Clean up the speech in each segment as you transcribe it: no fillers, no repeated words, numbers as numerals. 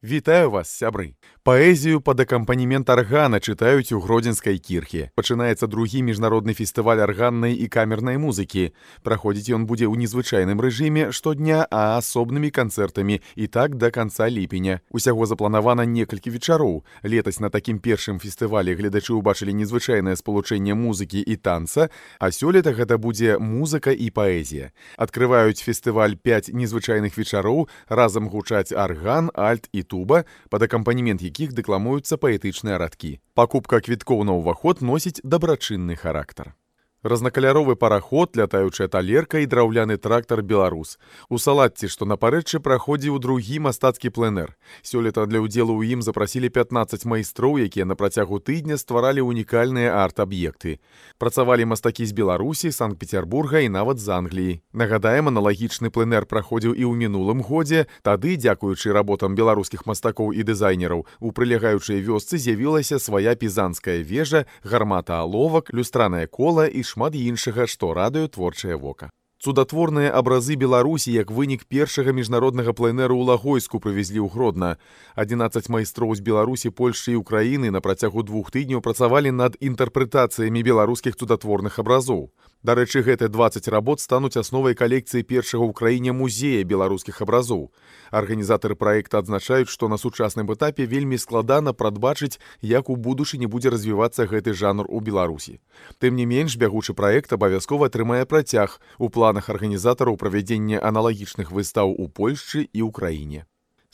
Вітаю вас, сябры! Паэзію пад акампанемент аргана чытаюць у Гродзенскай кірхе. Пачынаецца другі міжнародны фестываль арганнай і камернай музыкі. Праходзіць ён будзе ў незвычайным рэжыме штодня, а асобнымі канцэртамі і так да канца ліпеня. Усяго запланавана некалькі вечароў. Летась на такім першым фестывалі гледачы ўбачылі незвычайнае спалучэнне музыкі і танца, а сёлета гэта будзе музыка і паэзія. Адкрываюць фестываль 5 незвычайных вечароў, разам гучаць арган, альт і туба, пад акампанемент якіх дэкламуюцца паэтычныя радкі. Пакупка квіткоў на ўваход носіць дабрачынны характар. Разнакаляровы параход, лятаючая талерка і драўляны трактар «Беларус». У Салатці, што на парэччы, праходзіў другі мастацкі пленэр. Сёлета для ўдзелу ў ім запрасілі 15 майстроў, якія на працягу тыдня стваралі унікальныя арт-аб'екты. Працавалі мастакі з Беларусі, Санкт-Петербурга і нават з Англіі. Нагадаем, аналагічны пленэр праходзіў і ў мінулым годзе. Тады, дзякуючы работам беларускіх мастакоў і дызайнераў, у прылягаючай вёсцы з'явілася свая пізанская вежа, гармата аловак, люстранае кола і шмат іншага, што радуе творчае вока. Цудатворныя абразы Беларусі як вынік першага міжнароднага пленэру ў Лагойску прывезлі ў Гродна. 11 майстроў з Беларусі, Польшчы і Украіны на працягу 2 тыдняў працавалі над інтэрпрэтацыямі беларускіх цудатворных абразоў. Дарэчы, гэтыя 20 работ стануць асновай калекцыі першага ў краіне музея беларускіх абразоў. Арганізатары праекта адзначаюць, што на сучасным этапе вельмі складана прадбачыць, як у будучыні будзе развівацца гэты жанр у Беларусі. Тым не менш, бягучы праект абавязкова атрымае працяг у планах арганізатараў правядзення аналагічных выстаў у Польшчы і ўкраіне.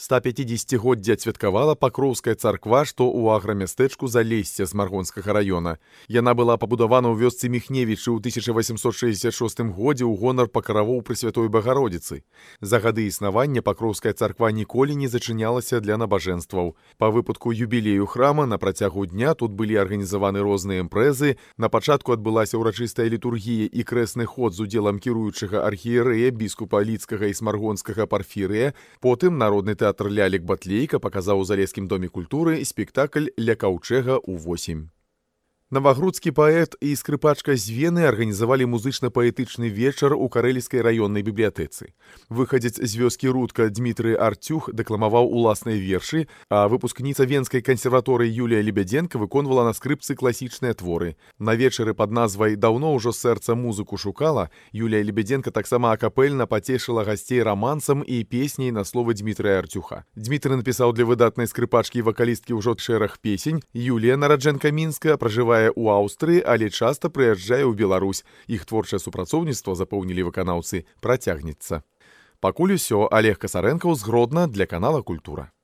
150-годдзя адсвяткавала Пакроўская царква, што ў аграмястэчку Залесся з Маргонскага раёна. Яна была пабудавана ў вёсцы Міхневічы ў 1866 годзе ў гонар пакаравоў Пресвятой Багародзіцы. За гады існавання Пакроўская царква ніколі не зачынялася для набажэнстваў. Па выпадку юбілею храма на працягу дня тут былі арганізаваны розныя імпрэзы. На пачатку адбылася ўрачыстая літургія і крэсны ход з удзелам кіруючага архіерэя, біскупа Ліцкага і Смаргонскага Парфірыя. Потым народны тэатр «Лялек Батлейка» паказаў у Залескім доме культуры спектакль «Ля каўчэга ў 8». Навагрудскі паэт і скрыпачка з Вены арганізавалі музычна-паэтычны вечар у карэлійскай раённай бібліятэцы. Выхадзец з вёскі Рудка Дмітрый Артюх дэкламаваў уласныя вершы, а выпускніца Венскай кансерваторыі Юлія Лебедзенка выконвала на скрыпцы класічныя творы. На вечары пад назвай «Даўно ўжо сэрца музыку шукала» Юлія Лебедзенка таксама акапельна пацешыла гасцей рамансам і песняй на словы Дмітрыя Артюха. Дмітрый напісаў для выдатнай скрыпачкі і вакалісткі ўжо шэраг песень. Юлія, нараджэнка-мінская, пражывае у Аўстрыі, але часта прыязджае ў Беларусь. Іх творчае супрацоўніцтва, запэўнілі выканаўцы, працягнецца. Пакуль усё. Олег Касарэнкаў з Гродна для канала «Культура».